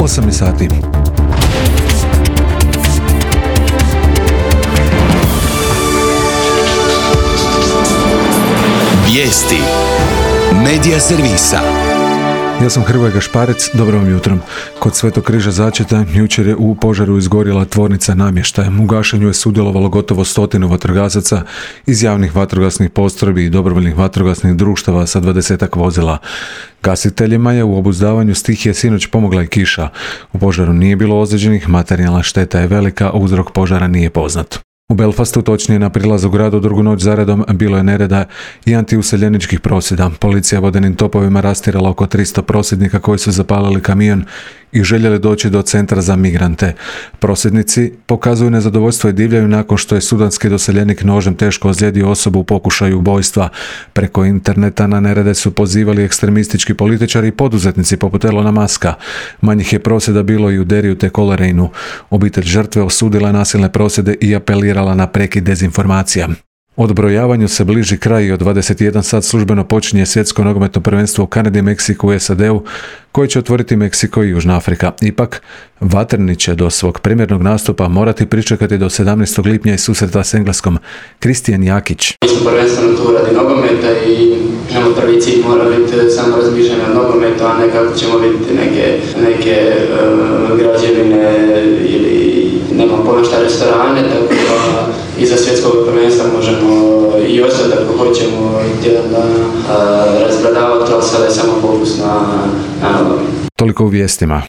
8 sati. Vijesti Medija servisa. Ja sam Hrvoje Gašparec, dobro vam jutro. Kod Svetog križa Začeta jučer je u požaru izgorjela tvornica namještaja. U gašenju je sudjelovalo gotovo 100 vatrogasaca iz javnih vatrogasnih postrojbi i dobrovoljnih vatrogasnih društava sa 20 vozila. Gasiteljima je u obuzdavanju stihije sinoć pomogla i kiša. U požaru nije bilo ozlijeđenih, materijalna šteta je velika, a uzrok požara nije poznat. U Belfastu, točnije na prilazu gradu, drugu noć zaredom bilo je nereda i antiuseljeničkih prosvjeda. Policija vodenim topovima rastjerala oko 300 prosvjednika koji su zapalili kamion i željeli doći do centra za migrante. Prosvjednici pokazuju nezadovoljstvo i divljaju nakon što je sudanski doseljenik nožem teško ozlijedio osobu u pokušaju ubojstva. Preko interneta na nerede su pozivali ekstremistički političari i poduzetnici poput Elona Muska. Manjih je prosvjeda bilo i u Deriju te Coleraineu. Obitelj žrtve osudila je nasilne prosvjede i apelirala na prekid dezinformacija. Odbrojavanju se bliži kraj i od 21 sat službeno počinje svjetsko nogometno prvenstvo u Kanadi, Meksiku i SAD-u, koje će otvoriti Meksiko i Južna Afrika. Ipak, vatreni će do svog premijernog nastupa morati pričekati do 17. lipnja i susreta s Engleskom. Kristijan Jakić. Mi smo prvenstveno tu radi nogometa i prvi cilj mora biti samo razmišljanje o nogometu, a ne kako ćemo vidjeti neke građevine ili nemam puno šta restorane, tako da iza svjetskog prvenstva možemo i ostati ako hoćemo tjedan dana razbradavati, ali sada je samo fokus na nogomet. Toliko u vijestima.